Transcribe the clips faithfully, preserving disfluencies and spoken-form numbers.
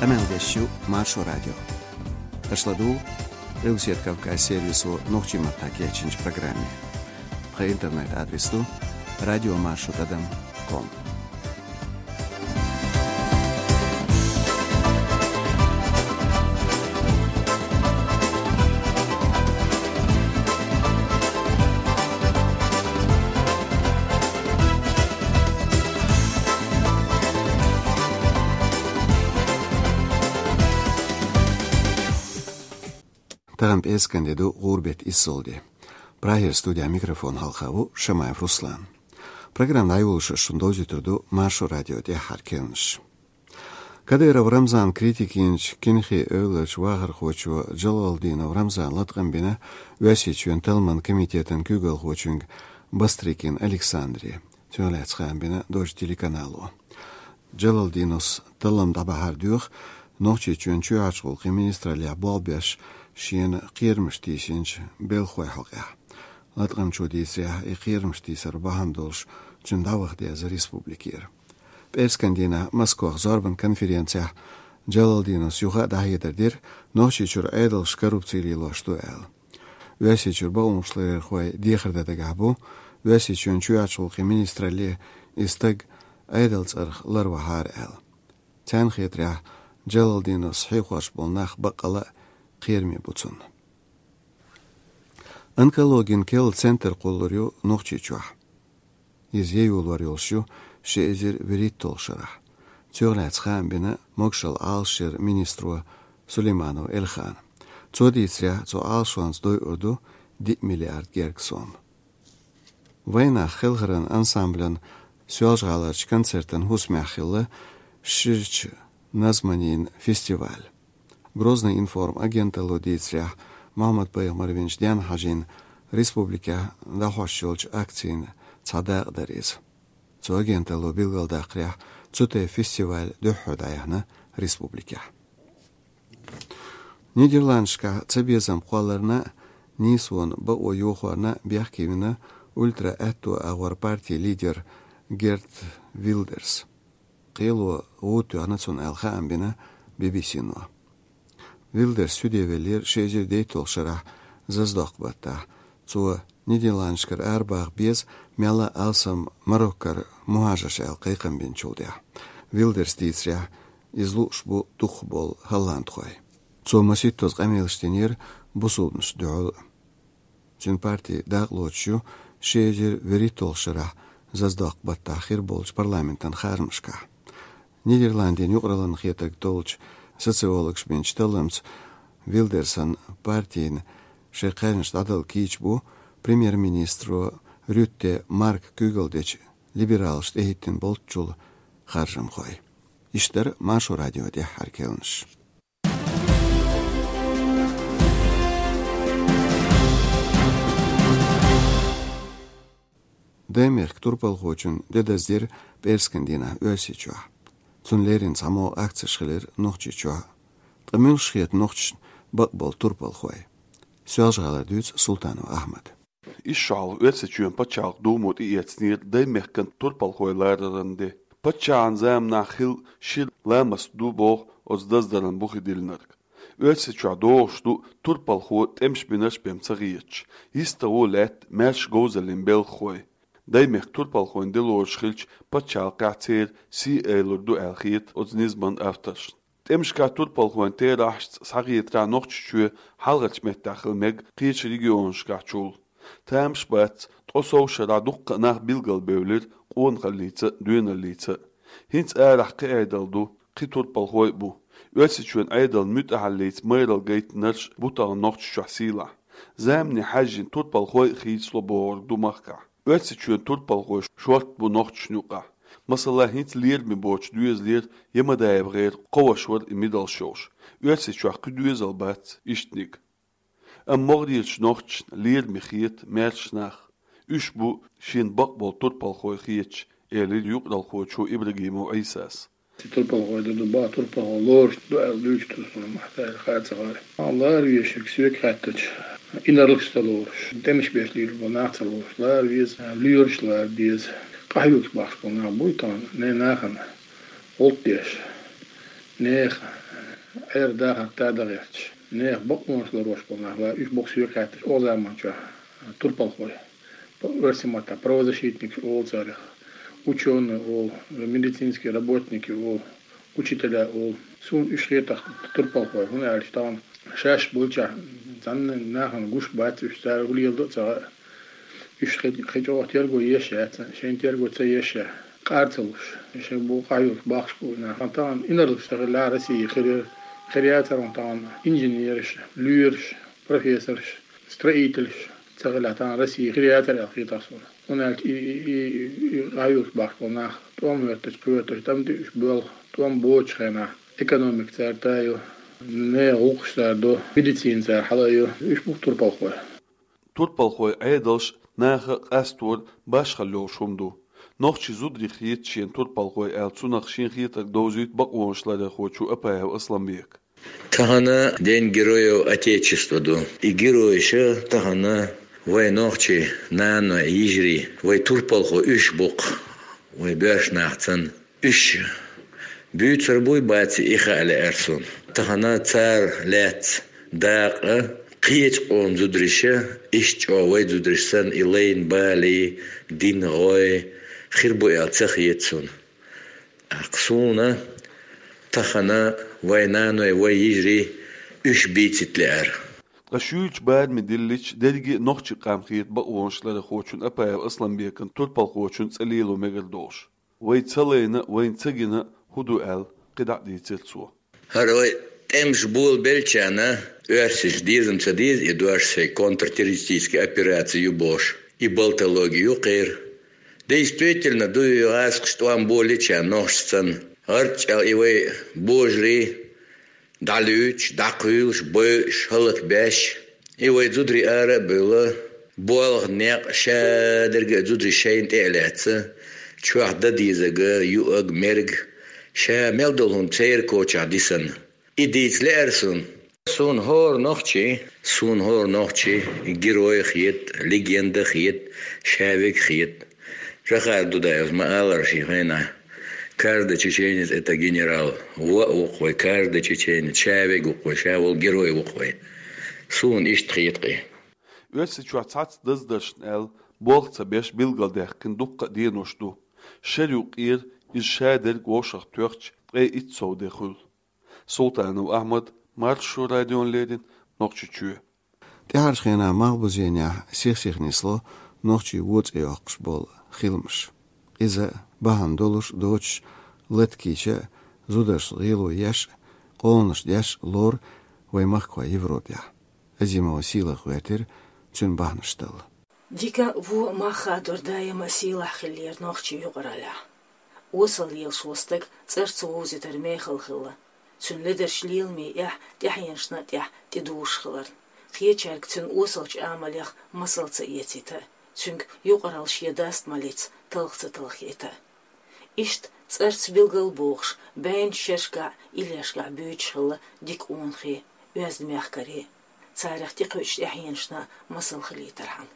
Къамел деш ю Маршо радио. Аша ладугӀу Къилбаседа Кавказ сервисо нохчийн маттахь кечйинчу программе. Тхан интернет-адрес ду радиомаршо тӀадам ком. Тахана пӀераскан де ду, гӀуран беттан иссалгӀа де. Прагера студехь микрофон хьалха ву Шамаев Руслан. Программа дӀайолош шуна довзуьйтур ду Маршо радион тӀаьххьара керланаш. Кадыров Рамзан критика йинчу Кинхи-Эвларчу вахархочо Джалалдинов Рамзана латкъам бина Оьрсийчоьнан талламан комитетан куьйгалхочуьнга Бастрыкин Александре. Цунах лаьцна хаам бина Дождь телеканало. Джалалдиновс таллам дӀабахьар доьху Нохчийчоьнан чоьхьарчу гӀуллакхийн министраллехь болх беш шена кхерамаш тийсинчу белхахойн хьокъехь. Латкъамчо дийцарехь, и кхерамаш тийсар бахьана долуш цуьнан дӀаваха деза республикера. ПӀераскан дийнахь Москвахь зорбан конференцехь Джалалдиновс юха а дӀахьедар дира, Нохчийчуьра Ӏедалш коррупци лелош ду аьлла. Оьрсийчуьра бакъонашларъярхой дехар дан дагахь бу, Оьрсийчоьнан чоьхьарчу гӀуллакхийн министралле и стаг Ӏедалан цӀарах ларвахьара аьлла. Царна хетарехь, Джалалдиновс хьехош болу нах баккъалла а кхераме бу цунна. Онкологин керла центр кхуллур ю Нохчийчохь. Иза яйолор йолуш ю ши эзар вуьрхӀитталгӀачу шарахь. Цунах лаьцна хаам бина могушалла Ӏалашъяран министро Сулейманов Эльхана. Цо дийцарехь, цу Ӏалашонца дойур ду диъ миллиард герга сом. Вайнах хелхаран ансамблан Соьлжа-ГӀаларчу концертан хӀусамехь хилла ширачу назманийн фестиваль. Грозный-информ агенталло дийцарехь, Мухьаммад-пайхамар винчу денна хьажийна республикехь дӀахьош йолчу акцийн цхьа дакъа дара иза. Цу агенталло билгалдаккхарехь, цу тайпа фестиваль дуьххьара дӀаяьхьна республикехь. Нидерландашкахь цабезам кхолларна а, нийсонан бакъо йохорна а бехке вина ультра-аьтто агӀор партин лидер Герт Вилдерс. Кхело гӀуда тоьхна цунна аьлла хаам бина Би-би-си-но. Вилдерс суьде веллера ши эзар дейтталгӀачу шарахь заздоккху баттахь. Цо Нидерландашкара арабаха беза, мелла а алсам Мароккара мухӀажарш аьлла кхайкхам бинчул тӀаьхьа. Вилдерс дийцарехь, иза лууш бу дукхахболу хӀолландхой. Цо масийттаза къамелаш динера бусулбанашна дуьхьал а. Цуьнан парти дакъа лоцуш ю ши эзар вуьрхӀитталгӀачу шарахь заздоккху баттахь хир болчу парламентан харжамашкахь. Нидерландийн юкъараллина хетарг толлучу социологаша бинчу талламца, Вилдерсан партина шайн кхаьжнаш дӀадала кийча бу премьер-министро Рютте Марка куьйгалла дечу либералашна тӀехӀиттина болччул харжамхой. Иштта дара Маршо радион тӀаьххьара керланаш. Даймехкан турпалхочун де даздира пӀераскан дийнахь Оьрсийчохь. Цунна леррина цхьамогӀа акцеш хилира Нохчийчохь. Ткъа муьлш хета нохчашна бакъболу турпалхой? Соьлжа-ГӀалара дуьйцу Султанов Ахьмада. Ишшохь Оьрсийчоьнан пачхьалкхан Думо тӀеэцнера Даймехкан турпалхой лараран де. Паччахьан заманахь хилла шира ламаст ду боху оцу даздаран бухе диллинарг. Оьрсийчохь догӀуш ду турпалхо тӀемаш бинарш бен ца хеташ, йистехь лаьтта маьрша говзаллин белхахой. Даймехкан турпалхойн де лоруш хилча, пачхьалкхехь церан сий айлур ду аьлла хета оцу низаман авторшна. ТӀемашкахь турпалхойн терахьашца схьахетарехь Нохчийчоь хьалхарчу меттехь хила мега кхечу регионашкахьчул. Тамаш бац, ткъе сов шарахь дуккха а нах билгалбевлира къонахаллица а, доьналлица а. ХӀинца арахь кхин Ӏедал ду, кхин турпалхой а бу. Оьрсийчоьнан Ӏедална муьтӀахьаллица майралла гайтинарш бу тахана Нохчийчохь сийлахь. Замане хьаьжжина турпалхой а хийцало бохург ду махкахь. Оьрсийчоьнан турпалхой шортта бу нохчашна юкъахь. Масала, хӀинца лераме боцучу доьзалера ЯмадаевгӀеран кхо ваша вара и мидал шовш. Оьрсийчохь кхин доьзал бац ишттаниг. Амма могӀарерчу нохчашна лераме хета маьрша нах. Уьш бу шена бакъболу турпалхой хеташ, элира юкъаралхочо Ибрагимов Ӏийсас. Турпалхой ду, ду, бакъ турпалхо лоруш ду аьлла дуьйцу турпалхой махкахь хаьа ца гӀара. Лара везарг соьга хаьттича, инарлаш ца лоруш, тӀемаш беш лелаш болу нах ца лоруш, лара веза, лоьраш лара деза. Къахьоьгуш бахаш болу нах буй тахана, не нахана гӀуллакх деш, нехан Ӏер дахар та дагӀерташ, нехан бакъонаш ларвеш болу нах вай, уьш бокъ соьга хаьтташ, оха заманчохь турпалхой. Оьрсийн маттахь правозащитникаш олу царах, учёные олу, медицинские работники олу, учителя олу. Суна уьш хетахь турпалхой, хӀунда аьлча тахана шаьш болчохь, цхьанна нахана гуш бац уьш, цара хӀун леладо а ца хаьа. Уьш кхин, кхин чӀогӀа терго еш яц, шайн терго ца еш, къар ца луш, шайн бу къахьоьгуш бахаш бу нах. Тахана инарлаш ца хилла Россия хир яра, хир яцара тахана инженераш, лоьраш, профессораш, строительш ца хилла тахана Россия хир яцара аьлла хетахь суна. ХӀунда аьлча и, и, и, и къахьоьгуш бахаш болу нах тӀом хӀоьттича, кхоьттича, тӀом диъ уьш боьлху, тӀом боцучу хенахь экономика цара таю, нехан гӀуллакхаш цара до, медицина цара хьала а йо, уьш бу турпалхой. Турпалхой Ӏедалш наха къастор башхалла йолуш хӀума ду. Нохчийн зударий хета шена турпалхой аьлла, цунах шен хетарг довзуьйту бакъонаш ларъярхочо Апаев Асланбека. Тахана День Героев Отечества ду. И геройша тахана вай нохчий наной, йижарий, вай турпалхой уьш бу-кх, вай боьрша нах цан. Уьш буьйцур буй, баций, и хаа лаьара суна. Тахана цара лаьцна дакъа кхечу къоман зудариша, иштта чӀогӀа вай зудариш санна, и лайна балий, дина гӀой хир бу аьлла ца хета суна. ТӀаккха суна тахана вай наной, вай йижарий уьш бийцийта лаьара. Ткъа шуьйрачу бараме диллича, дерриге а нохчийн къам хета бакъонаш ларъярхочун Апаев Асланбекан турпалхочун цӀе лело мегар долуш. Вай ца лайна а, вайна ца гина а хӀун ду аьлла, кхидӀа а дийцира цо. ХӀара вай тӀемаш болабеллачарна, оьрсаша деза-м ца деза и дош шайн контртеррористический операци ю бохуш, и болтологи ю кхеран. Действительно, дуй гӀазкхаша тӀом болийчарна нохчашца, гӀарчӀ чӀагӀ и вай божарий, дӀалуьйчу, дӀакхуьйлуш, бойуш, хӀаллакбеш. И вай зударий ара а бевлла, болх, некъ шадерг а зударий шайна тӀе а лаьцна, чохь дан дезарг, юург, мерг, ша мел долу хӀума церан кочахь дисна. И дийца лаьара суна. Суна хӀора нохчи, суна хӀора нохчи герой хета, легенда хета, шаверг хета. Жохара Дудаевс ма-аллара шен хенахь: «Каждый чеченец — это генерал». Вон а ву-кх вай, каждый чеченец, шаверг ву-кх вай, ша волу герой ву-кх вай. Суна иштта хета-кх и. Оьрсийчохь цхьацца даздаршна аьлла, болх ца беш билгалдаьккхина дуккха а денош ду. Шеран юккъера иза шадерг вовшахтоьхча, ткъе итт сов де хуьлу. Султанов Ахьмад, Маршо радиона леррина, Нохчийчоь. ТӀаьхьарчу хенахь малхбузенехь сих-сиха нисло нохчийн вон цӀе йоккхуш болу хиламаш. Иза, бахьана долуш а, доцуш а, лата кийча а, зударшна гӀело еш а, къоланаш деш а лору вайн махкахой Европехь. Азимова Сийлаха гӀоьртира цуьнан бахьанаш талла. Дика а, вон а мах хадор даима а сийлахь хиллера нохчийн юкъараллехь. Осал лелаш волу стаг цӀарца вовзийтар мехала хилла. Цуьнан ледарчу леламийн эхь тӀаьхьенашна а тӀехь тӀедужуш хиларна. Кхечаьрга цуьнан осалчу амалех масал ца эцийта а, цуьнга юкъаралла шен даст малица талха ца талхийта а. Иштта цӀарца билгал а бохуш, бӀеннаш шершкахь а, иллешкахь а буьйцуш хилла дика къонахий, оьзда мехкарий, царах тӀекхуьучу тӀаьхьенашна масал хилийтархьама.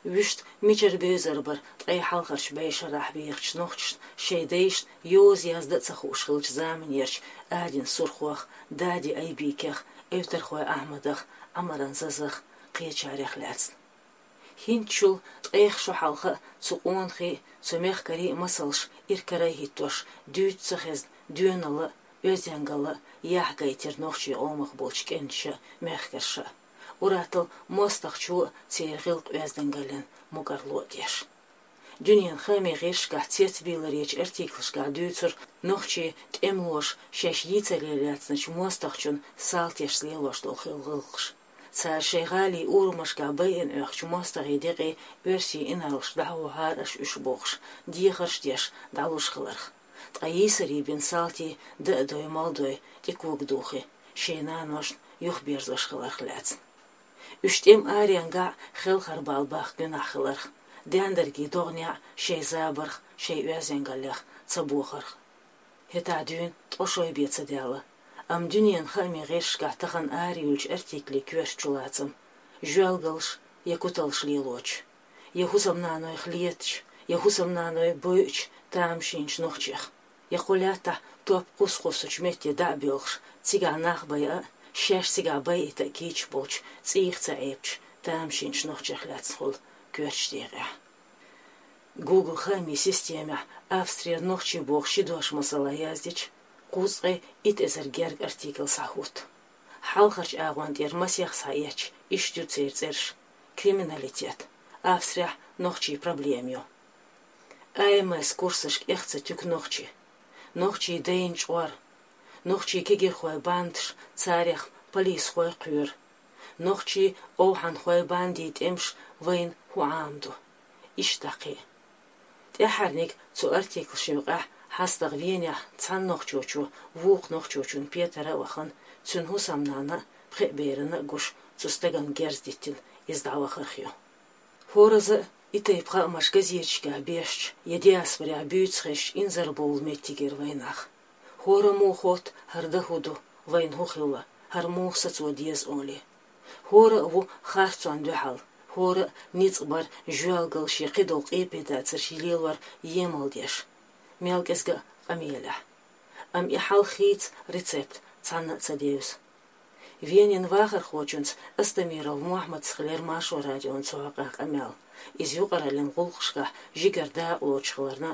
Вуьшта мичара бевзар бара ткъе хьалхарчу бӀешарахь вехачу нохчашна шайн дайшна йоза яздан а ца хууш хиллачу заманерчу Адин Сурхох, Дади Айбикех, Эвтархой Ахьмадах, Ӏамаран Зазах, кхечарех лаьцна. ХӀинцачул ткъех шо хьалха а цу къонахий, цу мехкарий а масалш иракарахӀиттош, дуьйцу ца хезна, доьналла а, оьздангалла а яхь гайтира нохчийн къомах болчу кӀенташа а, мехкарша а. Ур-атталла мостагӀчо а церан гӀиллакх-оьздангаллин мукӀарло а деш. Дуьненан хаамийн гӀирсашкахь цецбийларечу артиклашкахь дуьйцура нохчийн тӀемалоша шаьш йийцаре лаьцначу мостагӀчун салташца лелош долу хилла гӀиллакхаш. Цара шайн гӀалин урамашкахь байъина оьхучу мостагӀийн декъий оьрсийн инарлашка дӀахьохьара аша уьш бохуш, дехарш а деш, дӀалуш хиларх. Ткъа йийсаре бина салтий дан а дой, мала дой, тӀекога духий, шайн наношна юхаберзош хиларх лаьцна. Уьш тӀеман аренгахь а хелхарбала бахка гуьнахь хиларх, даьндаргийн догӀанехь а шайн забарх, шайн оьздангаллех ца бохарх. ХӀетахь дуьйна ткъа шо бен ца даьлла, амма дуьненан хаамийн гӀирсашкахь тахана араюьллучу артиклийн коьрта чулацам: жоьлгалш я куталш лелочу, я хӀусамнанойх летачу, я хӀусамнаной бойучу тамашийначу нохчех. Я кхо лаьттахь топ кхуссучу метте дӀа а боьлхуш, цигахь нах байа а, шаьш цигахь байита а кийча болчу цӀийх ца Ӏебачу тамашийначу нохчех лаьцна хуьлу коьртачу декъехь. Google хаамийн системехь Австрера нохчий бохуш ши дош масала яздича, кхузткъе итт эзар герга артикл схьахӀутту. Хьалхарчу агӀон тӀера масех схьаэцча, иштта ю церан цӀераш: криминалитет, Австрехь нохчийн проблема ю, А М С курсашка эхь ца туьгу нохчий, нохчийн дайн чкъор, нохчийн кегийрхойн бандаш, царех полисхой кхоьру, нохчийн овхӀанхойн бандийн тӀемаш, вайна хӀун Ӏамо ду. Иштта кхин а. ТӀаьххьарниг цу артиклашна юкъахь хьастагӀа Венехь цхьана нохчочо вукху нохчочун петара а вахана, цуьнан хӀусамнана а, пхеа берана а гуш, цу стагана герз диттина, иза дӀавахарх ю. ХӀоразза а и тайпа хаамаш газеташкахь бешча я диаспорехь буьйцуш хезча инзарбовла меттигера вайнах. ХӀора а муха хотту, хӀара дан хӀун ду, вайна хӀун хилла, хӀара муха сацо деза олий. ХӀора а ву харцонна дуьхьал, хӀора а ницкъ бар, жоьлгал шен кхидолу къепедацарш лелор емал деш, мел кӀезга а къамелехь. Амма и хьал хийца рецепт цхьанна а ца девза. Венин вахархочуьнца Астамиров Мохьмадца хилира Маршо радион цу хьокъехь къамел. Иза юкъараллин гӀуллакхашкахь жигара дакъалоцуш хиларна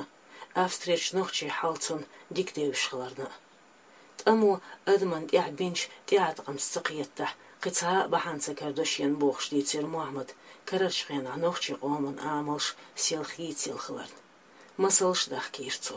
а, Австрерчу нохчийн хьал цунна дика девзаш хиларна а. ТӀамо адамна тӀехь бинчу тӀеӀаткъамца ца кхетадахь, кхин цхьа а бахьана ца карадо шена бохуш дийцира Мохьмада, карарчу хенахь нохчийн къоман амалш сел хийцаелла хиларна. Масалш а дахкийра цо.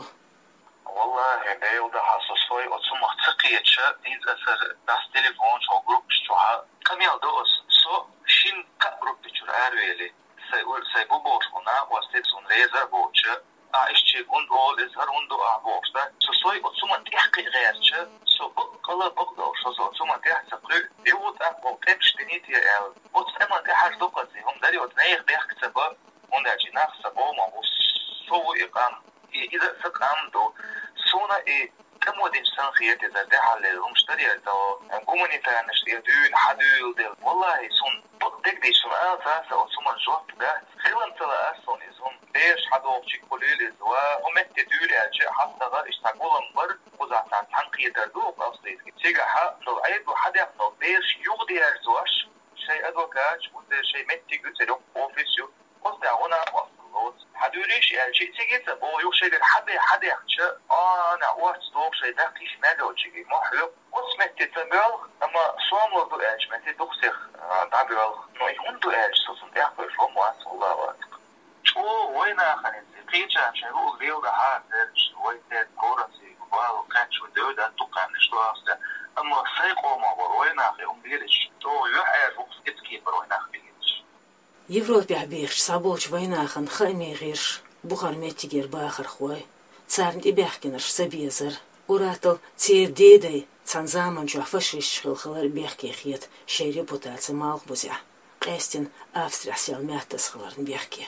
Валлахи, Дела дахьа, со сой оцу хӀумах ца кхеташ, хӀинца аса дас телефон чохь группаш чохь къамел до аса. Со шина-кхаа группа чуьра аравели. Сайн ур-, сайн бу бохуш хӀуна, оцу тӀе суна реза а боцуш, а, иштта шега хӀунда олу иза, хӀара хӀунда ду ахь бохуш дан. Со сой оцу хӀуманна тӀехь кхин а гӀерташ, со бакъ къала бакъ долуш, со, со оцу хӀуманна тӀехь ца кхуьу, юха тӀаккха ваха къемаш динийта аьлла. Оцу къаманна тӀехь хьажа ду-кх аса, хӀума дарий, оцу нехан бехк ца бан, хӀунда аьлча и нах сан къоман ву, со ву и къам. И иза а сан къам ду. Суна и тӀамо динчу санна хета иза, тӀаьххьара леррина хӀумаш дарий, то гуманитарнаш тӀе дуьйна хьан дуьйладелла. Валлахи, суна бакъдерг дийцча, суна ала ца аса оцу хӀуманна жоп дац. Хилам ца лаара суна иза хӀума. Бераш хьан дохучу кулийла иза ва хӀун метте дуьйла аьлча, хьан стага иштта гулам бар, кхузахь цхьаьна цхьаьна кхетар ду оцу австрийский. Цигахь долу Ӏедало хьан дехна долу бераш юхадерзош, шайн адвокаташ, уьш шайн меттиг ю, церан офис ю. Оцу тӀехь гӀо накъосталла лоцу. Хьан дуьйлийша аьлча, цига ца боху, юха шайгара хьан бе хьан дехча, а, нах орца доху шайн даккхийша мел йолчуьнга, мохь хьоькху. Оцу метте ца боьлху, амма сомалур ду аьлча метте дукха сих, а, дӀабоьлху. Но и хӀунда ду аьлча, со цунна тӀехь кхуьйсуш хӀума вац, валла вац. ЧӀогӀа вайнахана иза, кхечарна шайн хӀуъа леладахьара дерриш, вай церан городца бала кхаьчча, вай девдат дукха хан иштта вахча, амма сайн къоман вара вайнах и хӀума лелийча, чӀогӀа юьхьӀаьржа ву-кх скидскипар вайнах бигинчу. Европехь бехачу цхьаболчу вайнахана хаамийн гӀирсаша, бухара меттигера бахархой, царна тӀебаьхкинарш ца безар, ур-атталла церан дедай цхьана заманчохь фашисташ хилла хилар бехке хета шайн репутаци малхбузехь, къаьстина Австрехь сел меттаза хиларна бехке.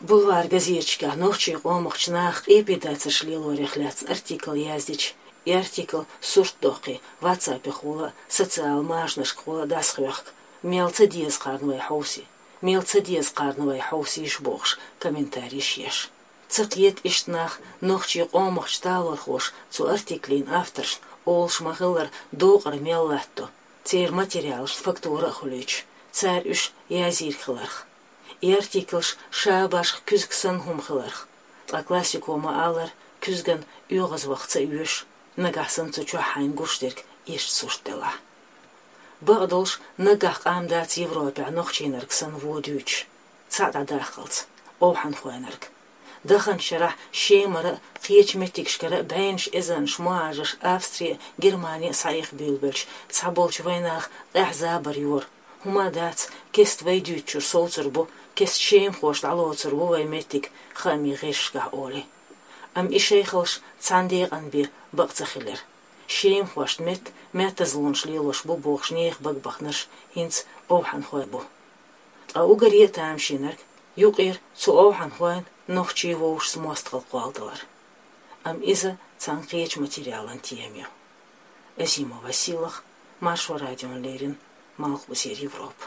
Бульвар газеташкахь нохчийн къомахчу наха къепедацарш лелорех лаьцна артикл яздича, и артикл сурт доккхий, ватсапехула а, социал машанашкахула а дӀасахьоьхку, мел ца деза кхарна вай хьовсий, мел ца деза кхарна вай хьовсийша бохуш, комментарийш еш. Ца кхета иштта нах, нохчийн къомахчу талорхоша цу артиклин авторшна олуш ма-хиллара докъар мел латтадо, церан материалашна фактура а хуьлуьйтуш, цара уьш язйийриг хиларх. И артиклаш ша башха куьзга санна хӀума хиларх, ткъа классико ма-аллара, куьзган оьгӀазваха ца оьшу, нагахь санна цу чохь хьайна гуш дерг иштта сурт делахь. Бакъдолуш, наггахь къам дац Европехь нохчийнарг санна вон дуьйцуш, цхьаъ дӀадаккхалц, овхӀанхойнарг. Даханчу шарахь Шемара а, кхечу меттигашкара а бӀеннаш эзарнаш мухӀажарш Австри а, Германи а схьаэха буьйлабелча, цхьаболчу вайнаха къаьхьа забар йора. ХӀума дац, кеста вай дуьйцучуьра совцур бу, кеста шемахоша дӀалоцур ву вай меттиг хаамийн гӀирсашкахь олий. Амма и шайхаллаш цхьана декъана бен бакъ ца хилира. Шемахошна метта меттазлонаш лелош бу бохуш нехан бага баханарш хӀинца овхӀанхой бу. Ткъа уггаре а тамашийнарг, юкъера цу овхӀанхойн нохчийн вовшашца мостагӀалла кхолладалар. Амма иза цхьана кхечу материалан тема ю. Азимова Сийлаха, Маршо радиона леррина, Малхбузера Европа.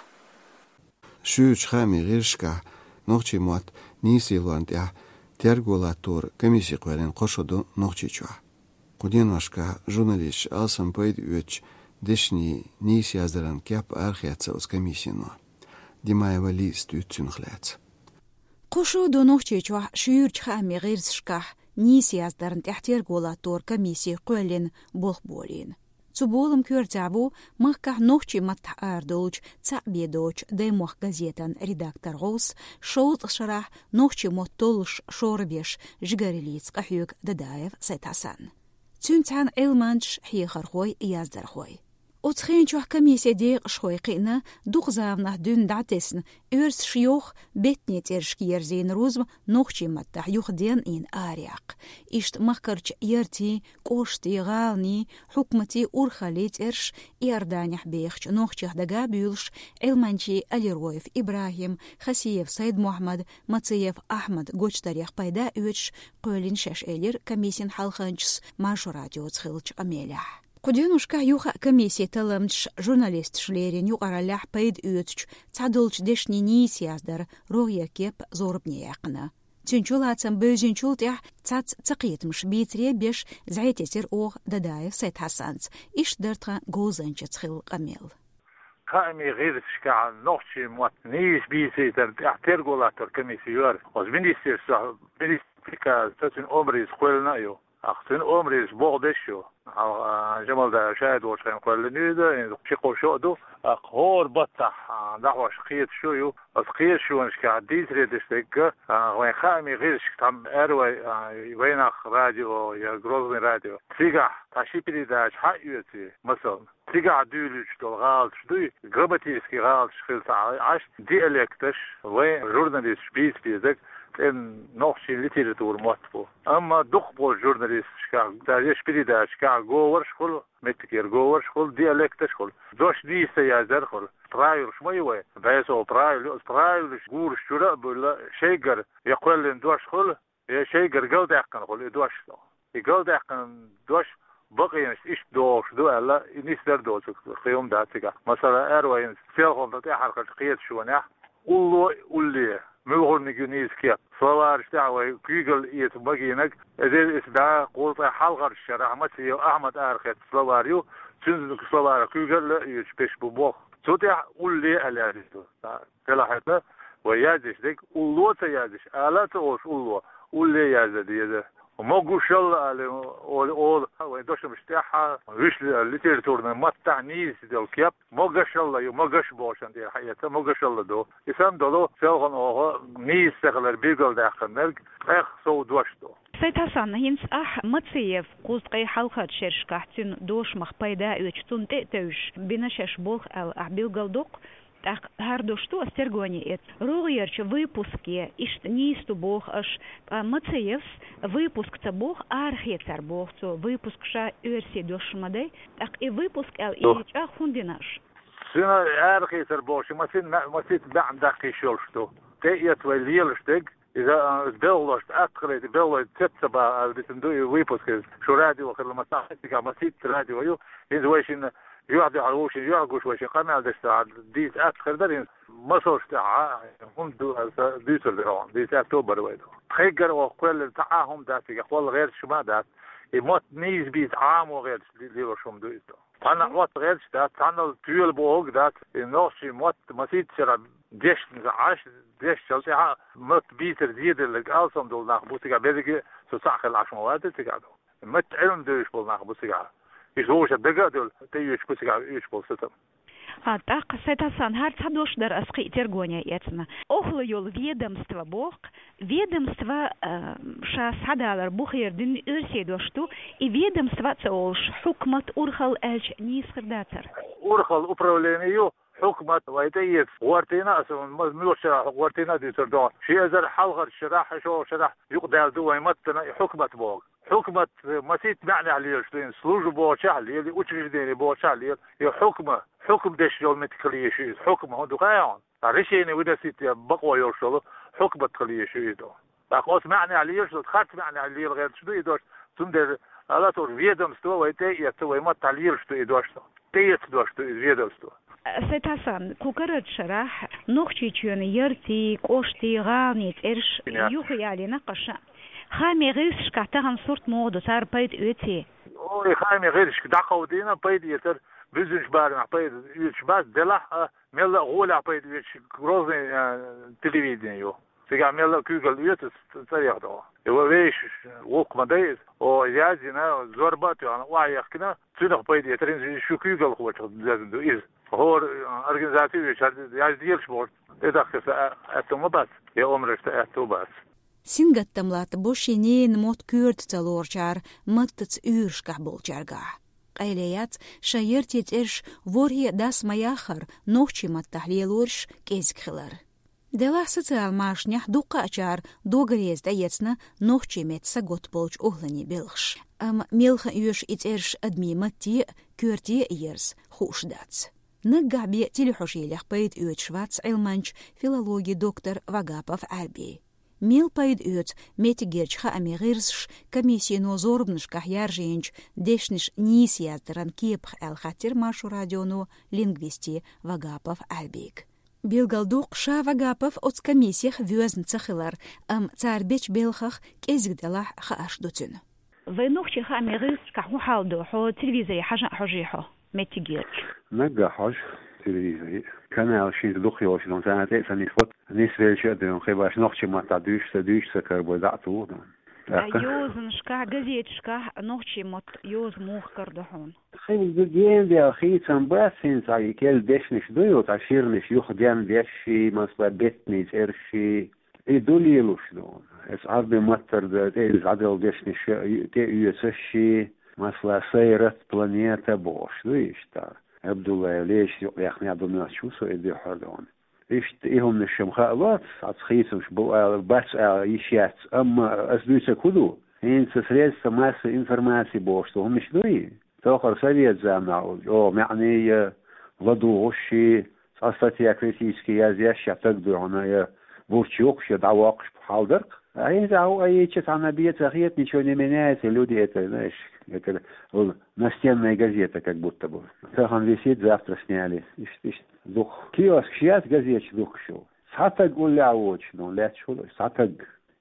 Шуьйрачу хаамийн гӀирсашкахь нохчийн мотт нийса лелорна тӀехь терго латтор комисси кхоьллина кхо шо ду Нохчийчохь. Кху деношкахь журналисташа алсам пайда оьцучу дешнийн нийса яздаран кеп арахецна оцу комиссино. Димаева Лизас дуьйцу цунах лаьцна. Кхо шо ду Нохчийчохь шуьйрачу хаамийн гӀирсашкахь нийса яздарна тӀехь терго латторан комисси кхоьллина, болх болийна. Цу боламан коьртехь ву махкахь нохчийн маттахь арадолучу цхьаъ бен доцучу «Даймохк» газетан редактор гӀовс, шовзткъа шарахь нохчийн мотт толлуш шорбеш жигараллица къахьоьгу Дадаев Сайд-Хьасан. Цуьнца цхьаьна Ӏилманчаш, хьехархой, яздархой. Оцу хенан чохь комиссин декъашхой кхиъна, дукха заманахь дуьйна дӀатесна, оьрсаша йоху беттанийн цӀерашка ерзийна рузба нохчийн маттахь юхаденна, араяьккха. Иштта махкарчу яртийн, кӀоштийн, гӀаланийн, хьукматийн, урхаллийн цӀераш, Иорданехь бехачу нохчех дага а буьйлуш, Ӏилманчийн Алироев ИбрахӀим, Хасиев Сайд-Мохьмад, Мациев Ахьмад гочдарех пайда а оьцуш, кхоьллина шаьш, элира комиссин хьалханчас Маршо радиоца хиллачу къамелехь. Кху деношкахь юха а комиссин талламчаша журналисташа леррина юкъараллехь пайда оьцучу цхьадолчу дешнийн нийса яздаран рогӀера кеп зорбане яьккхина. Цуьнан чулацам бевзинчул тӀаьхьа цхьацца цакхетамаш бийцаре а беш, зӀе тесира оха Дадаев Сайд-Хьасанца. Иштта дара тхан говзанчаца хилла къамел. Хаамийн гӀирсашкахь нохчийн мотт нийса бийцийтарна тӀехь терго латторан комисси ю хӀара. Оцу министерствохь, министран приказца, цуьнан омрица кхоьллина а ю. ТӀаккха цуьнан омрица болх беш ю. Хьалха, а, Жамалдаев Шайд волчу хенахь кхоьллина ю иза, хӀинца ши-кхо шо а ду. ТӀаккха хӀора баттахь, а, дӀахьош кхеташо ю. Оцу кхеташонашкахь дийцаре деш дерг, а, вайн хаамийн гӀирсашка, тхан аьрру вай, а, «Вайнах» радио я «Грозный» радио. Цигахь тхан ши передача хьаоьций, масала. Цигахь дуьйлуьйтуш долу гӀалаташ дуй, грамматический гӀалаташ хилла ца Ӏаш, диалекташ, вайн журналисташа бийца безарг цӀена нохчийн литературан мотт бу. Амма дукхахболчу журналисташкахь, даже передачашкахь говораш хуьлу, меттигера говораш хуьлу, диалекташ хуьлу. Дош нийса ца яздар хуьлу. Правилаш ма ю вайн, бӀе сов правила ю, оцу правилаш гурашчуьра а буьллу, шайгара я кхоьллина дош хуьлу, я шайгара галдаьккхина хуьлу и дош. И галдаьккхина дош бакъонаш иштта догӀуш ду аьлла, и нисдар доцург кхин хӀума дац цигахь. Масала, аьрру вай хӀинца селхана тӀаьхьарчу кхеташонехь, улло, улле, муьлхарниг ю нийса кеп. Словараш тӀехь вай куьйгалла эца магийнарг, эзар исс бӀе кхузткъе хьалхарчу шарахь Мациев Ахьмада арахецна словарь ю, цуьнан словарах куьйгалла а оьцуш беш бу болх. Цу тӀехь улле аьлла яздина ду. Делахь хӀета, вай яздеш дерг улло ца яздеш, ала а ца олуш улло, улле яздан деза. Могушалла ала олу, олу, вайн дошамаш тӀехь а, вуьшта литературный маттахь нийса долу кеп, могашалла ю, могаш бохучун тӀера хьаэца, могашалла ду. И санна долу селхана оха нийса ца хилар билгалдаьккхинарг, тӀех сов дош ду. Сайд-Хьасан, хӀинца ахь Мациев кхузткъе хьалхарчу шерашкахь цуьнан дошамах пайда а оьцуш, цунна тӀе а тевжаш бина шаьш болх аьлла ахь билгалдоккху. ТӀаккха хӀара дош ду ас тергоне эцна. РогӀерчу выпуске иштта нийса ду боху аша, ткъа Мациевс выпуск ца боху, арахецар боху цо, выпуск ша оьрсийн дош ма дай. ТӀаккха и выпуск аьлла и чӀагӀ хӀунда дина аша? Цуьнан арахецар бохуш, масин, масийтта маьӀна даккхийш йолуш ду. ТӀеэцна вай лелаш дерг, иза, а, белхалошна атта хилийта, белхалой цец ца баха аьлла дитина ду и выпуск иза. Шу радио хилла ма ца хетта, масийтта радио ю. ХӀинца вай шинна юьхь-дуьхьал вовшийн юьхь гуш, вай шин къамел деш ца дийца атта хир дара, хӀинца масалш тӀехь а хӀунда ду аьлла сан дуьйцур дара хьуна, дийца аьтту а бара вай ду. Тхайгара оха кхоьллина цхьа а хӀума дац, и хьол гӀерташ хӀума а дац. И мотт нийса бийца Ӏамо гӀерташ лелош хӀума ду иза. Цхьанна Ӏотта гӀерташ дац, цхьанна тоьла бохург дац. И нохчийн мотт масийтта шарахь дешна Ӏаш, дешначул тӀаьхьа мотт бийцар зеделларг алсам долу нах бу цигахь, берриге а со цхьаъ хилла Ӏаш ма вац цигахь ду. Мотт Ӏилма девзаш болу нах бу цигахь. Иза вовшах дага а девлла, тӀеоьцуш бу цигахь оьцуш болу сацам. А, тӀаккха, Сайд-Хьасан, хӀара цхьа дош дара ас кхин а тергоне эцна. Охала йолу ведомство боху, ведомство, а, ша схьадалар бу хер дина оьрсийн дош ду, и ведомство а ца олуш, хьукмат, урхалла аьлча нийса хир дацара? Урхалла управление ю, хьукмат вай тӀеэца гӀортийна а, аса ма-, муьлхачу шарахь гӀортийна а дуьйцур ду. Ши эзар хьалхарчу шарахь, шолгӀачу шарахь юкъадаьлла ду вайн маттана и хьукмат боху. Хьукмат масийтта маьӀнехь лелаш ду, и служба бохучехь а лела, и учреждение бохучехь а лела, и хьукма, хьукма деш йолу меттиг хила езаш ю иза, хьукма, хӀун ду хаьий хьуна? Ткъа решение выносить бакъо йолуш йолу хьукмат хила езаш ю иза. ТӀаккха оцу маьӀнехь лелаш ду, харц маьӀнехь лела гӀерташ ду и дош, цундела ала а ца олуш, ведомство вай тӀеэцна, вай маттахь лелаш ду и дош. ТӀеэцна дош ду иза, ведомство. Сайд-Хьасан, кху карарчу шарахь Нохчийчоьнан яртийн, кӀоштийн, гӀаланийн цӀераш юхаялийна-кх аша. Хаамийн гӀирсашкахь тахана сурт муха ду, цара пайда оьций? О, и хаамийн гӀирсашка дӀакховдийна, пайда эцар, бузинчу барамехь пайда оьцуш бац, делахь а, мелла а гӀолехь пайда оьцуш Грозный, а, телевидение ю. Цигахь мелла а куьйгалла оьцу ц-, цӀарах догӀу. И ва вешаш, вукху ма дай иза. О, язйина, зорба а тоьхна, охьаехкина, цуьнах пайда эцар, хӀинца шу куьйгалхочух доьзна ду иза. ХӀора, а, организаци вешар, язделаш бохург, тӀедахкарца а-, аьтту ма бац, я омрашца аьтту бац. Сингаттам латтабо шен ненан мотт коьрта ца лоручара маттаца уьйрашкахь болчаьргахь. Къайле яц шайн яртийн цӀераш ворхӀе дас ма яххара нохчийн маттахь лелораш кӀезиг хилар. Делахь социал машанехь дуккхаъчара дог реза тӀеэцна нохчийн меттан саготта болчу охӀланийн белхаш. Амма мел хан оьшу и цӀераш адамийн матте а, коьрте а ерза, хууш дац. Наггахь бен телехьожийлех пайда оьцуш вац Ӏилманча, филологин доктор Вагапов Ӏаьрби. Мел пайда оьцу меттигерчу хаамийн гӀирсаша комиссино зорбанашкахь яржийначу дешнаш нийса яздаран кепах аьлла хаттира Маршо радионо лингвисте Вагапов Ӏаьрбига. Билгал дукха ша Вагапов оцу комиссех воьзна ца хилар, амма цара бечу белхах кӀезиг делахь хаарш ду цуьнан. Вайн нохчийн хаамийн гӀирсашкахь хӀун хьал ду, хьо телевизоре хьажа а хьожий хьо, меттигерчу? Наггахь хьожу телевизоре. Канал шина дукха йолуш ду, царна тӀе а ца нисбо, нисвелча а ду, кхин баш нохчийн маттахь дуьйцуш ца, дуьйцуш ца карабой дӀа а туху ду. ТӀаккха йозанашкахь, газеташкахь нохчийн мотт йоза муха карадо хьуна? Кхин ду гена дел хийцам бац, хӀинца и керла дешнаш ду ю, цхьа ширнаш юха ден дешший, масала, беттанийн цӀерший, и ду лелуш ду. Эс Ӏарбийн маттара тӀе иза дӀадала дешнаш тӀеоьцуш ший, масала, сайрат, планета бохуш ду иштта. Абдуллаев лешаш юкъа яхна ду моьттуш ву со и дуьххьара ду. Иштта и хӀуманаш-м хаа лоц, цхьацца хийцамаш бу ала, бац ала йиш яц, амма ас дуьйцург хӀун ду? ХӀинца средства массовой информации бохуш ду хӀуманаш дуй? Тохара совет заманахь, о, маьӀний я, ладугӀуш ший, цхьа статья критически яздеш я таг дуй хьуна, я бурч юккуш, я дӀавоккхуш хьал дара-кх. А хӀинца хьо а йича цхьанна бен ца хета, ничего не меняется, люди это, знаешь, это, вон, настенная газета как будто бы. Тахана висит, завтра сняли. Иштта, иштта. Дукха. Киоскаш яц, газеташ дукха шу. Цхьа таг уллехь воцуш, ну, лаьтташ хуьлу, цхьа таг.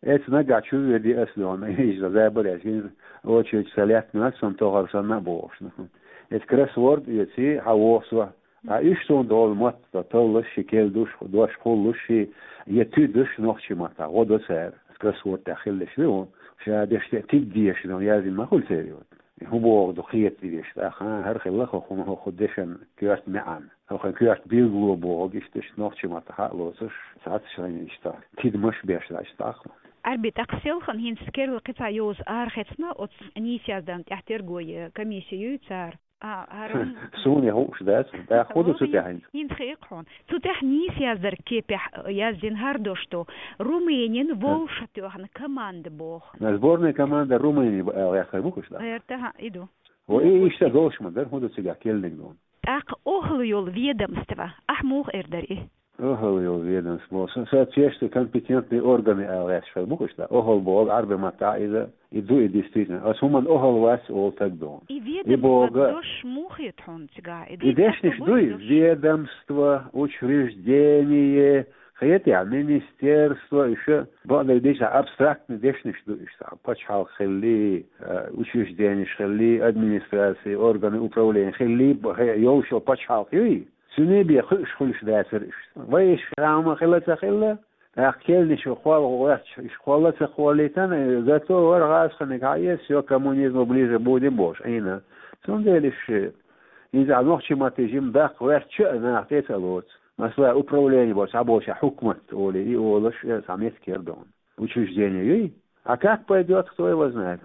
Эца нагахь чу а веди ас, ну, иза забареш, иза очередь ца лаьтта, ну, ас сан тохар санна а бохуш, ну. Эца кроссворд эций, хьан вохсо. А уьш суна долу мотт, таллаш ши, керла душ, дош кхуллуш ши, я туьдаш нохчийн маттахь, гӀо до цара. Кроссворд тӀехь хилла ши, ну, ша деш те, тиддеш, ну, язйина ма хуьлу церан. ХӀун боху ду кхета дезаш, тӀаккха хӀара хилла хӀокху, хӀокху дешан коьрта маьӀна, хӀокху коьрта билгало бохург иштта, иштта нохчийн маттахь а лоцуш, цхьацца шайна иштта тидамаш беш дац тӀаккха. Ӏаьрби, тӀаккха селхана хӀинца керла кхин цхьа йоза арахецна оцу нийса яздарна тӀехь терго е комисси юй цара? А, хӀара суна хууш дац, тӀаккха хӀун ду цу тӀехь хӀинца? ХӀинца хи-, хьуна. Цу тӀехь нийса яздарг кепехь, э, яздина хӀара дош ду. Румынин вовшах тоьхна команда боху. На сборная команда Румынии бу аьлла яххар бу кхуьш да? Герта, хьа, и ду. О, и иштта долуш ма дара, хӀун ду цигахь керлиг ду? ТӀаккха охӀла йолу ведомство, ахь муха эр дара и? ОхӀла йолу ведомство, со-, соответствующие компетентные органы аьлла гӀерташ хир бу кхуьш да? ОхӀла боху Ӏарбийн маттахь иза, и ду и действительно. Ас хӀуманна охӀла вац олу таг ду. И ведомство боху дош муха хета хьуна цигахь? И дешнаш дуй? Ведомство, учреждение, хетехь, министерство, ещё бакъдерг дийцахь абстрактный дешнаш ду иштта. Пачхьалкх хилли, э, учрежденеш хилли, администрации, органы управления хилли, б-, хе-, йолуш йолу пачхьалкх юй? Цуьнан бен кхуьуш хуьлуш дацара иштта. Вай иштта хьан хӀума хилла ца хилла, тӀаккха керланаш кхолла гӀоьрташ, иштта кхолла ца кхоллийтана, готов вара гӀазкханиг хьаэца, всё, к коммунизму ближе будем бохуш, Ӏийна. Цундела иштта, хӀинца нохчийн матте жима даккха гӀоьртча а наха тӀе ца лоцу. Масала, управление боху, цхьаболчара хьукмат олий, и олуш, э, цхьа меттиг яра ду. Учреждение юй? А как пойдёт, кто его знает?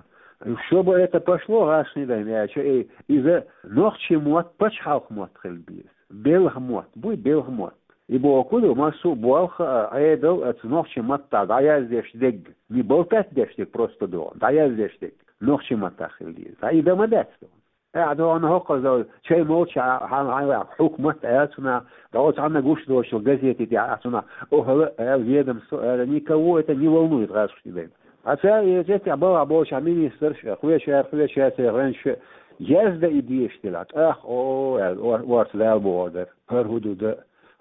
Чтобы это пошло, гӀазкхийн дайн, аьлча, э, иза нохчийн мотт пачхьалкх мотт хила беза. Белхан мотт буй, белхан мотт. И боху ду, массо а болх, а, Ӏедал оцу нохчийн маттахь дӀаяздеш дерг, не болтать деш дерг, просто догӀу, дӀаяздеш дерг нохчийн маттахь хила деза. Ткъа и дан ма дац ду. Ахьа догӀу хӀокхуза чай молча хьан, хьан, хьан хьукмат аьлла цунах, догӀу цхьанна гуш доцчул газете тӀехь ахьа цунах охӀла аьлла, ведомство аьлла, никого это не волнует, гӀазкхийн дайн. Ткъа цара и цецехь балхахь болчохь министрш а, кхечара, кхечара церан гӀоьнчаш а яздан и дезаш делахь, тӀаккха, о, аьлла, ор-, орца Дала бохур дара. ХӀара хӀун ду дан?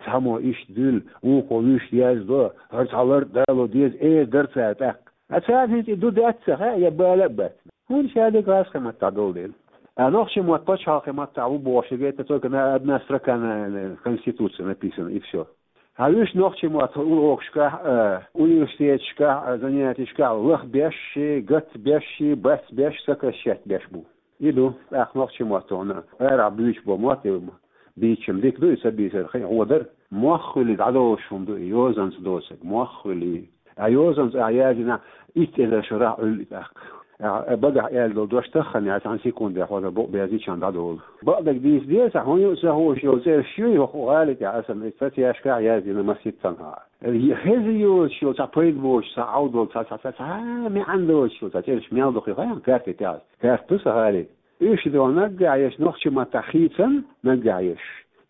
Цхьаммо иштта дуьллу, вукхо вуьшта яздо, хӀара цхьа лар а дало деза, эр дара цара тӀаккха. Ткъа царна хӀинца и ду дац ца хаьа, я бала а бац. ХӀунда ша дерг гӀазкхийн маттахь долу дела? А нохчий мотт пачхьалкхе маттахь ву бохуш, это только на одна строка на, на Конституции написано, и всё. Хьан уьш нохчий мотт урокашкахь а, университеташкахь а, занятишкахь а лахбеш, гатбеш, бацбеш, сокращать беш бу. И ду, тӀаккха нохчий мотт хьуна арахь буьйцуш бо мотт, и бийцча-м дика ду, и ца бийцар хи гӀо дара. Мох хуьлий дӀадолуш хӀума ду и, йозанца доцург, мох хуьлий. А йозанца а яздина, итт эзар шарахь Ӏуьллу и тӀаккха. А, а багахь аьлла долу дош таххана яц, цхьана секундехь хьо дан букъ безичан дӀадолу. Бакъдерг дийца деза, хьуна юкъа ца хууш йолу цӀераш ю, хӀокху гӀалин тӀехь аса статьяшкахь яздина маситтанхьа. Хеза йоцуш йолу цхьа пайда боцуш, цхьа Ӏовдал, цхьа, цхьа, цхьа, цхьа маьӀна доцуш йолу цхьа цӀераш мел ду хи хаьа, карте тӀехь. Карта ду сан гӀалин. Уьш ду наггахь еш, нохчий маттахь хийцам наггахь еш.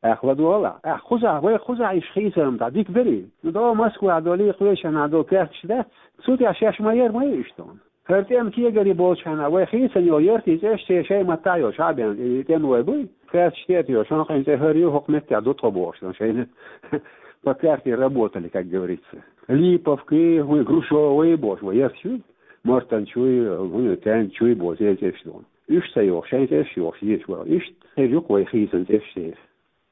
Ахь ладогӀал ахь. Ахь кхузахь, вай кхузахь иш хийцам дӀа дика дарий? Ну, до Москва долий, кхечанхьа долу керташ дац. Цу тӀехь шаьш ма яра, ма ю иштта. ХӀара тӀеман кегари болчхьана, вай хийцам йолу яртий цӀераш церан шайн маттахь йолуш хьа а бен, и тӀеман вай буй? Керташ тӀе а тоьуш, хьан кхин цӀе хӀара ю, хӀокху меттехь ду тхо бохуш, дан шайна по карте работали, как говорится. Липовки, вай Грушовый бохуш, вай ярташ ю. Мартанчуй, вай Тянгчуй бохуш, церан цӀераш ду. Уьш ца йохуш, шайн цӀераш йохуш, езаш вара. Иштта хир ю-кх вай хийцам цӀераш церан.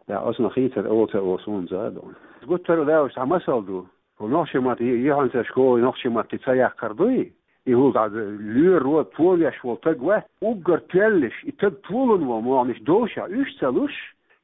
Да, аса ма хийцар, оца оцунца а ду. Гуттар а лаьуш цхьа масал ду. Хьо нохчий матте, и хьуна ца школе нохчий матте ца яккхар дуй? И хӀума дӀа лоьро, товеш волу таг вац, уггар тоьллаш, и таг толун волу могӀанаш довшехь, уьш ца луш,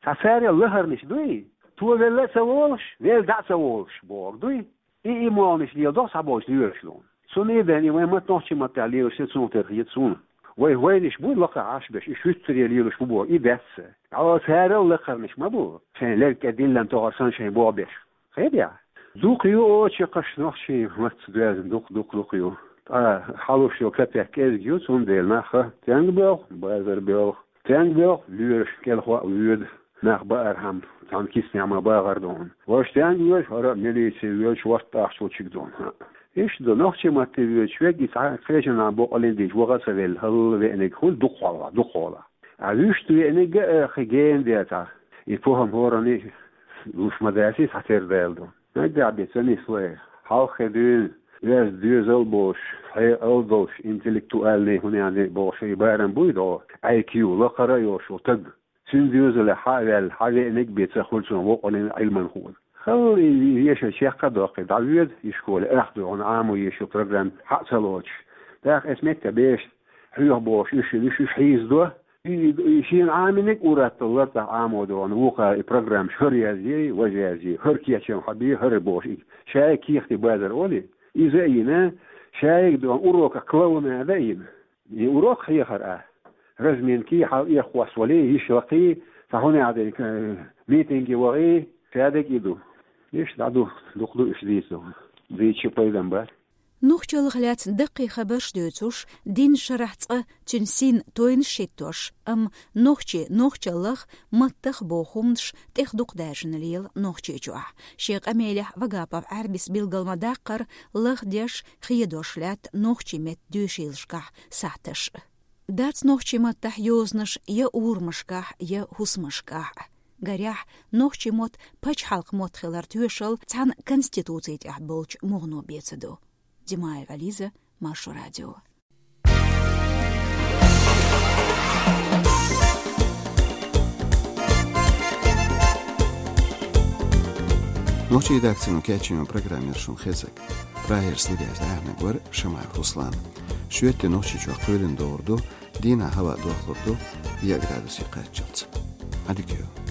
цхьа царел лахарнаш дуй? Товелла а ца волуш, велла дӀа а ца волуш, бохург дуй? И, и могӀанаш леладо цхьаболчу лоьраш луна. Цунна а бен, и вайн матта нохчий маттахь лелаш ца цунах терхьа еза суна. Вай вайнаш буй лакхахь Ӏаш беш, и шуьттаре лелаш бу боху, и даьсса. Хьо царал лакхарнаш ма бу, шайн лерг кӀе диллина тохар санна шайн боху беш. Хедехь? Дукха ю оцу чакхаш нохчий матца доьзна, дукха, дукха, дукха ю. Ткъа хьалуш йолу капек кӀезиг ю, цундела нах а тенга боьлху, базар боьлху. Тенга боьлху, лоьраш кӀелхо а воьду, нах баархьама, цхьана киснехь ма бахар ду хьуна. Важа тенга воьду, хӀара а милици воьду, шорта ахча чиг ду хьуна. Иштта ду, нохчий матте воьдуш верг, и цхьа кхечанхьа боккъалла дийча, ваха а ца велла, хӀалла веаниг хуьлу дукхахьолахь, дукхахьолахь. А вуьшта веаниг а хи гена децахь, и похӀма хӀоранна луш ма дац, и цхьатерра даьлла ду. Наггахь бен ца нисло и. Хьалххе дуьйна, оьзда доьзал а болуш, хьекъал а долуш, интеллектуальный, хӀунда аьлла бохуш, и барам буй догӀу, I Q лакхара а йолуш волу таг. Цуьнан доьзалехь хьа а ваьлла, хьа веаниг а бен ца хуьлу цунах воккъалла Ӏилманхо. Хала и вешан чекх а доккхий, дӀавоьду и школе, ах дуьхьал Ӏамо езаш йолу программа хьа а ца лоцуш. ТӀаккха эс метта беш хьоьху бохуш, уьш, уьш, уьш хьийзадо. И, и, и шена Ӏамийниг а ур-атталла лартӀахь Ӏамо догӀу, вукхара и программаш хӀара язъе, важа язъе, хӀара кечам хьабе, хӀара бохуш. И шайга кехатий базар олий, иза а йина, шайга догӀу уроках клоунада а йина. И урок хьехар а, разминки, хьал-, эххос валий, йиш лакхий, цхьа хӀунда аьлла дерг, э, митинге вахий, шадерг и ду. Иштта дӀа ду, дукха ду уьш дийца. Дийцича пайдам бац. Нохчаллах лаьцна даккхий хабарш дуьйцуш, дийнна шарахь цкъа цуьнан син тойнаш хӀиттош, амма нохчий нохчаллах, маттах боху хӀуманаш тӀех дукха даьржина лела Нохчийчохь. Шен къамелехь Вагапов Ӏаьрбис билгал ма даккхара, лахдеш, хедош лаьтта нохчий меттан доьшийлашкахь сахьташ. Дац нохчий маттахь йозанаш я урамашкахь, я хӀусамашкахь. Гарехь, нохчий мотт пачхьалкхан мотт хилар тоьшалла цхьана конституци тӀехь болчу мугӀано бен ца ду. Димаева Лиза, Маршо радио. Нохчийн редакцино кечйина программа яра шуна хезнарг. Прагера студехь дӀаяьхьнарг вара Шамаев Руслан. Шоьтан Нохчийчохь кхоьлина догӀур ду, дийнахь хӀаваъ дохлур ду, еа градусе кхаччалц. Ӏадика йойла.